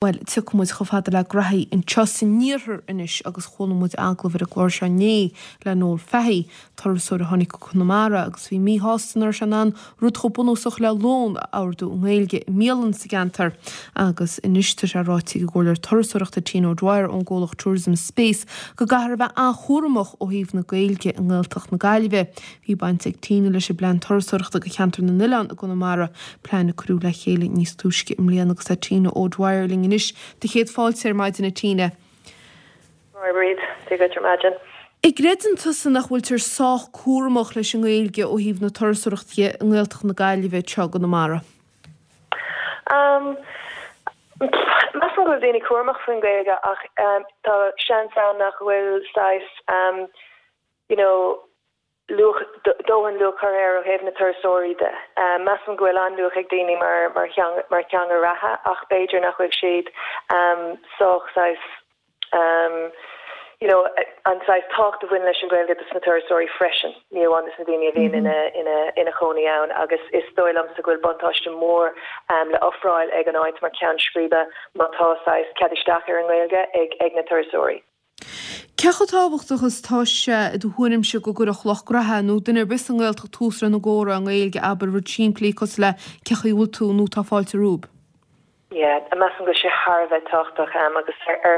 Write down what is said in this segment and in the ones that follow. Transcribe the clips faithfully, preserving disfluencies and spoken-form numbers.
Bhuel, tiocfaidh muid chomh fada le graithí anseo san iarthar anois agus chuala muid agallamh ar an gclár seo inné le Noel Fahey, turasóir a tháinig go Conamara agus bhí míshásta nach raibh sé in ann rud chomh bunúsach le lón a ordú i nGaeilge i mbialann sa gceantar. Agus anois tá sé ráite ag an gcomhairleoir turasóireachta Tina O'Dwyer ón gcomhlacht Tourism Space go gcaithfear a bheith an-chúramach ó thaobh na Gaeilge i nGaeltacht na Gaillimhe. Bhí baint ag Tina leis an bplean turasóireachta do cheantar na n-oileán i gConamara, plean a cuireadh le chéile níos túisce i mbliana agus tá Tina O'Dwyer linn anois do chéad fáilte ar maidin a Tina. Bríd, Dia duit ar maidin. An gcreideann tusa nach bhfuiltear sách cúramach leis an nGaeilge ó thaobh na turasóireachta i nGaeltacht na Gaillimhe anseo i gConamara. Um, Measaim go bhfuil daoine cúramach faoin Ghaeilge ach um, tá seans ann nach bhfuil saghas um, you know, luach dóthain luach curtha air ó thaobh na turasóirí de. Um, Measaim go bhfuil an-luach ag daoine mar mar theanga mar theanga reatha ach b'fhéidir nach bhfuil siad um, sách saghas um, you know, an saghas tábhacht a bhaineann leis an Ghaeilge dos na turasóirí freisin, ní amháin dos na daoine a bhíonn ina ina ina chónaí ann agus is dóigh liomsa go bhfuil buntáiste mór um, le ofráil ag an áit mar ceann scríbe má tá saghas cead isteach ar an nGaeilge ag ag na turasóirí. Cé chomh tábhachtach is atá sé i do thuairimse go gcuirfeadh lucht graithe nó duine ar bith sa nGaeltacht tús lena gcomhrá i nGaeilge abair rud simplí cosúil le cén chaoi a bhfuil tú nó tá fáilte romhaibh. Yeah, measaim go bhfuil sé thar a bheith tábhachtach um, agus ar ar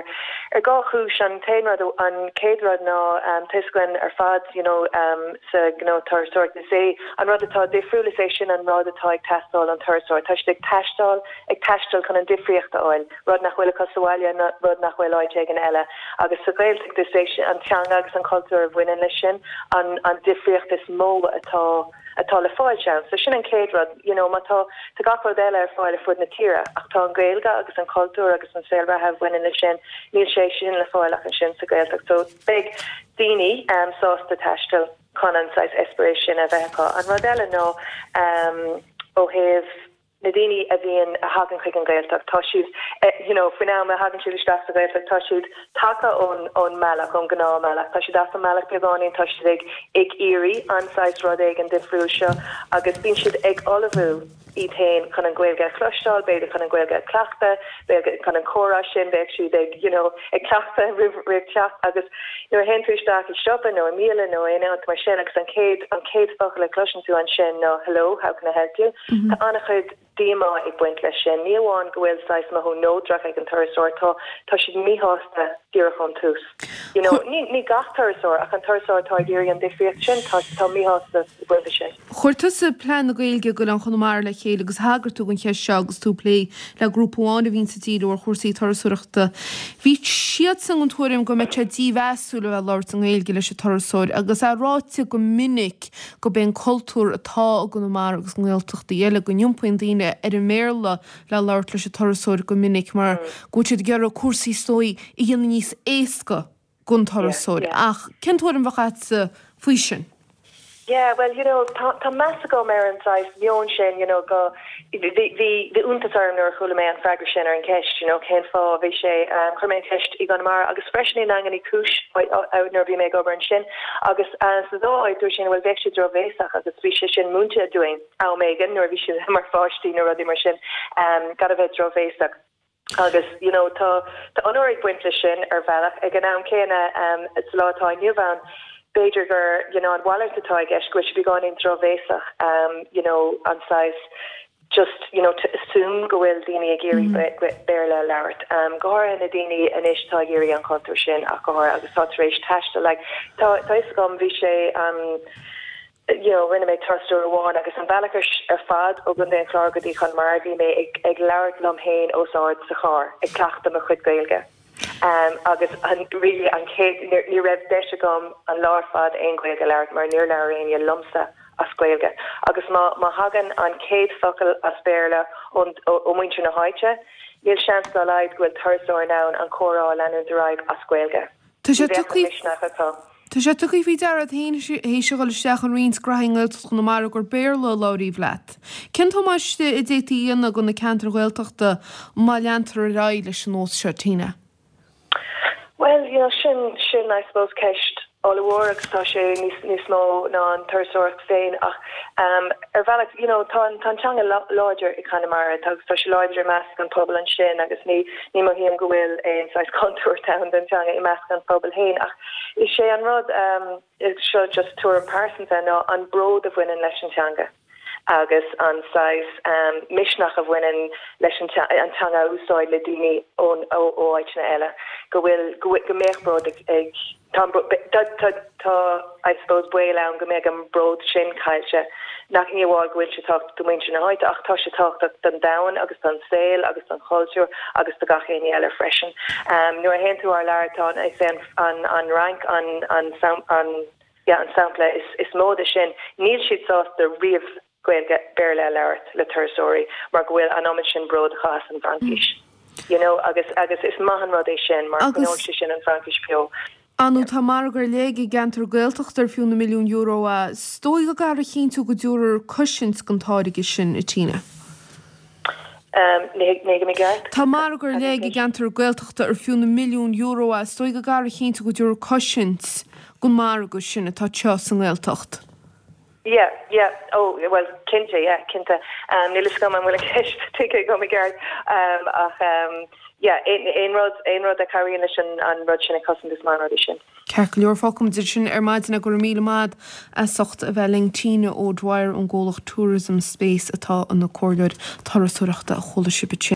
ar dhá chúis an t-aon rud an chéad rud ná um, tá a fhios againn ar fad you know, um, sa gnó turasóireacht is é an rud atá difriúil is é sin an rud atá ag teastáil ón turasóir. Tá siad ag taisteal ag taisteal chun an difríocht a fháil, rud nach bhfuil acu sa bhaile ná rud nach bhfuil áit éigin eile. Agus sa Ghaeltacht is é sin an teanga agus an cultúr a bhaineann leis sin an an difríocht is mó atá atá le fáil ann. So sin an chéad rud, you know, má tá tá gach rud eile ar fáil ar fud na tíre ach tá an Ghaeilge agus an cultúr agus an saol reatha a bhaineann leis sin níl sé sin le fáil ach ansin sa Ghaeltacht. So beidh daoine um, sásta taisteal chun an saghas eispéireas sin a bheith acu. An rud eile ná um, ó thaobh na daoine a bhíonn a thagann chuig an Ghaeltacht tá siad eh, you know, faoin am a thagann siad isteach sa Ghaeltacht tá siad tagtha ón ón mbealach ón ngnáthbhealach tá siad as an mbealach beagáinín tá siad ag ag iarraidh an saghas rud éigin difriúil seo agus bíonn siad ag ullmhú iad féin chun an Ghaeilge a chloisteáil, b'fhéidir chun an Ghaeilge a chleachtadh, b'fhéidir chun an comhrá sin bheadh siad ag you know, ag cleachtadh roimh roimh teacht agus nuair a théann tú isteach i siopa nó i mbialann nó aon áit mar sin agus an chéad an chéad focal a chloiseann tú ansin ná hello, how can I help you? Mm -hmm. Tá an-chuid díomá ag baint leis sin. Ní amháin go bhfuil saghas mothú neodrach ag an turasóir tá tá siad míshásta díreach ón tús. You know, ní, ní gach turasóir ach an turasóir atá ag iarraidh an difríocht sin tá tá míshásta buinte sin. Chuir tusa plean na Gaeilge d'Oileáin Chonamara le chéile agus thagair tú don cheist seo agus tú ag plé le grúpa amháin a bhíonn ag díriú ar chúrsaí turasóireachta. Bhí siadsan den tuairim go mbeadh sé dímheasúil a bheith labhairt i nGaeilge leis an turasóir agus é ráite go minic gurb é an cultúr atá i gConamara agus i nGaeltachtaí eile go n-iompaíonn daoine ar an mBéarla le labhairt leis an turasóir go minic mar go bhfuil siad ag iarraidh cúrsaí is dóigh a dhéanamh níos éasca don turasóir ach cén tuairim a bheadh agatsa faoi sin? Yeah, well, you know, tá tá meas agam ar an saghas meon sin, you know, go bhí bhí bhí iontas orm nuair a chuala mé an freagra sin ar an ceist, you know, cén fáth bhí sé um, chuir mé an ceist i gConamara agus freisin i nDaingean Uí Chúis nuair a bhí mé ag obair ansin agus uh, sa dá áit dúirt sin bhuel bheadh sé drochbhéasach agus bhí sé sin múinte dúinn am éigin nuair a bhí siad mar pháistí nó rudaí mar sin um, gan a bheith drochbhéasach. agus you know tá tá onóir ag baint leis sin ar bhealach ag an am céanna um, sa lá atá inniu ann b'fhéidir gur you know an mhalairt atá i gceist go bhfuil sé beagáinín drochbhéasach um, you know an saghas just you know to assume go bhfuil daoine ag iarraidh mm. Béarla labhairt um, go háirithe na daoine anois tá ag iarraidh an cultúr sin ach go háirithe agus tá tar éis taisteal like tá tá fhios agam bhí sé um, you know, rinne mé turas amháin agus an bealach ar fad ó Chontae an Chláir go dtí Conamara bhí mé ag, ag labhairt liom féin os ard sa charr ag cleachtadh mo chuid Gaeilge. Um, agus an really an chéad ní raibh deis agam an lá ar fad aon Ghaeilge labhairt mar níor labhair éinne liomsa as Gaeilge. Agus má má thagann an chéad focal as Béarla ón ó muintir na háite, níl seans dá laghad go bhfuil turasóir in ann an comhrá a leanúint ar aghaidh as Gaeilge. Tá sé tugtha Tá sé tugtha faoi deara théis a dhul isteach in roinnt graithí i nGaeltacht Chonamara gur Béarla a labhraíodh leat. Cén damáiste a d'fhéadfaí a dhéanamh do na ceantair Ghaeltachta má leantar ar aghaidh leis an nós seo Tina? Well, you know, sin sin I suppose ceist ollmhór agus tá sé níos níos mó ná an turasóireacht féin ach um, ar bhealach you know, tá tá teanga láidir i Conamara agus tá sé láidir i measc an pobal ansin agus ní ní mothaím go bhfuil aon saghas contúirt ann don teanga i measc an pobal féin ach is sé an rud um, is seo just tuairim pearsanta ná an bród a bhaineann leis an teanga agus an saghas um, misneach a bhaineann leis an an teanga a úsáid le daoine ón ó áiteanna eile go bhfuil go go mbeadh bród ag, ag tá tá tá I suppose baol ann go mbeadh an bród sin caillte nach ní amháin go bhfuil sé tábhachtach do mhuintir na háite ach tá sé tábhachtach don domhan agus don saol agus don chultúr agus do gach éinne eile freisin. Um, nuair a théann tú thar lear tá is é an an an Fhrainc an an an, an yeah, an sampla is, is mó de sin níl siad sásta riamh Gaeilge Béarla a labhairt le turasóirí mar go bhfuil an oiread sin bród acu as an bhFraincis. Mm. You know, agus agus is maith an rud é sin mar sé sin an Fraincis beo. Anu tá margadh ar leith i gceantar Gaeltachta ar fiú na milliún euro a is dóigh go gcaithfear a chinntiú go dtabharfar cosaint don táirge sin a Tina. Um, Tá margadh ar leith i gceantar Gaeltachta ar fiú na milliún euro a is dóigh go gcaithfear a chinntiú go dtabharfar cosaint don mhargadh sin atá anseo sa nGaeltacht. Yeah, yeah. Oh, well, cinnte, yeah, cinnte. Um, Níl go an bhfuil an cheist tuigthe agam i gceart um, ach um, yeah, aon rud aon rud a chabhraíonn leis an an rud sin a chosaint is maith an rud sin. Ceart go leor fágfaimid sin ar maidin go raibh míle maith as ucht a bheith linn Tina O'Dwyer ón gcomhlacht Tourism Space atá ina comhairleoir turasóireachta a chuala sibh sin.